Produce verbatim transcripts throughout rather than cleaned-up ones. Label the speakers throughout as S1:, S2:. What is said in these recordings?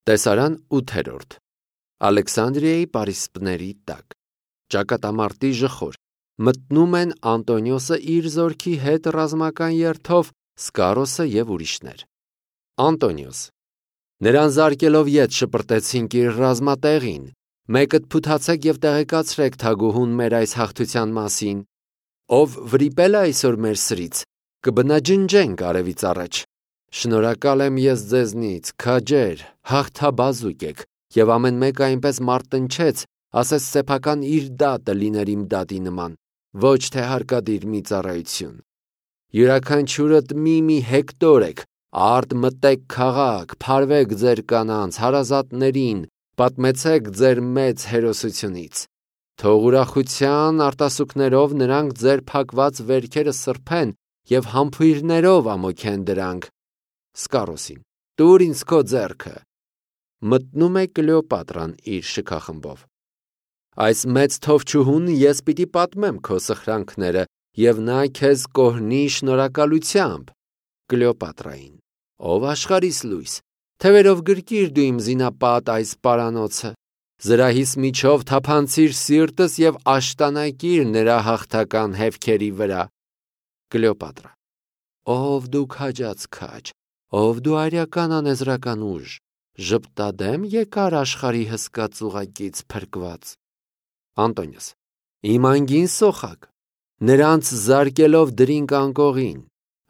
S1: Տեսարան ութերորդ Ալեքսանդրիայի պարիսպների տակ ճակատամարտի ժխոր մտնում են Անտոնիոսը իր զորքի հետ ռազմական երթով, Սկարոսը և ուրիշներ։ Անտոնիոս. նրան զարկելով ետ շպրտեցինք իր ռազմատեղին, մեկդ փութացեք և տեղեկացրեք թագուհուն մեր այս հաղթության մասին, ով վրիպել է այսօր մեր սրից, կբնաջնջենք արևից առաջ։ Շնորհակալ եմ ես ձեզնից, քաջեր, հաղթաբազուկ եք, և ամեն մեկը այնպես մարտնչեց, ասես սեփական իր դատը լիներ իմ դատի նման, ոչ թե հարկադիր մի ծառայություն։ Յուրաքանչյուրդ մի-մի հեկտոր եք, արդ մտեք քաղաք, փարվեք ձեր կանանց, հարազատներին, պատմեցեք ձեր մեծ հերոսությունից։ Թող ուրախության արտասուքներով նրանք ձեր փակված վերքերը սրբեն և համբույրներով ամոքեն դրանք։ Սկարոսին. տուր ինձ քո ձեռքը։ Մտնում է Կլեոպատրան իր շքախմբով։ Այս մեծ թովչուհուն ես պիտի պատմեմ քո սխրանքները, և նա քեզ կօրհնի շնորհակալությամբ։ Կլեոպատրային. ով աշխարհիս լույս, թևերով գրկիր դու իմ զինապատ այս պարանոցը, զրահիս միջով թափանցիր սիրտս և աշտանակիր նրա հաղթական հետքերի վրա։ Կլեոպատրա. ով դու քաջած քաջ, ով դու արյական անեզրական ուժ, ժպտադեմ եկար աշխարհի հսկա ծուղակից փրկված։ Անտոնիոս. իմ անգին սոխակ, նրանց զարկելով դրինք անկողին։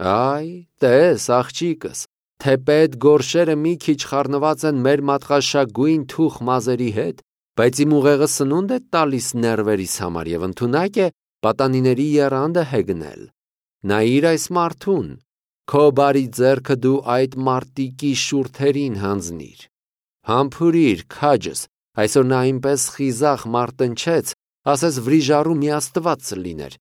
S1: Այ, տես, աղջիկս, թեպետ գորշերը մի քիչ խառնված են մեր մատղաշագույն թուխ մազերի հետ, բայց իմ ուղեղը սնունդ է տալիս ներվերիս համար և ընդունակ է պատանիների եռանդը հեգնել։ Նայիր այս մարդուն, քո բարի ձեռքը դու այդ մարտիկի շուրթերին հանձնիր։ Համբուրիր, քաջս, այսօր նա այնպես խիզախ մարտնչեց, ասես վրիժառու մի աստված լիներ,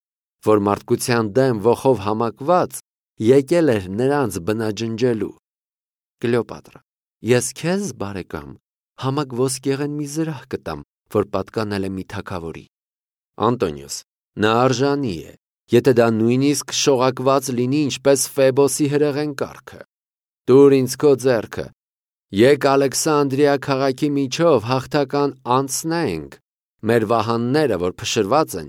S1: որ մարդկության դեմ ոխով համակված եկել էր նրանց բնաջնջելու։ Կլեոպատրա. ես քեզ, բարեկամ, համակ ոսկեղեն մի զրահ կտամ, որ պատկանել է մի թագավորի։ Անտոնիոս. նա արժանի է, եթե դա նույնիսկ շողակված լինի ինչպես Ֆեբոսի հրեղեն կառքը։ Տուր ինձ քո ձեռքը, եկ Ալեքսանդրիա քաղաքի միջով հաղթական անցնենք, մեր վահանները, որ փշրված են,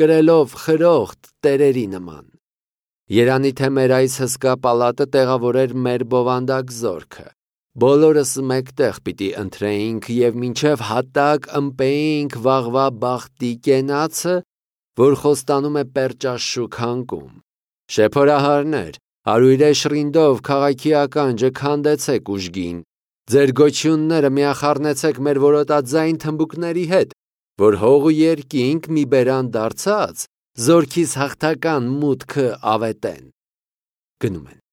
S1: կրելով խրոխտ տերերի նման։ Երանի թե մեր այս հսկա պալատը տեղավորեր մեր բովանդակ զորքը, բոլորս մեկտեղ պիտի ընթրեինք և մինչև հատակ ըմպեինք վաղվա բախտի կենացը, որ խոստանում է պերճաշուք հանկում։ Շեփորահարներ, արույրե շռինդով քաղաքի ականջը քանդեցեք ուժգին, ձեր գոչյունները միախառնեցեք մեր որոտաձայն թմբուկների հետ, որ հող ու երկինք մի բերան դարձած, զորքիս հաղթական մուտքը ավետեն։ Գնում են։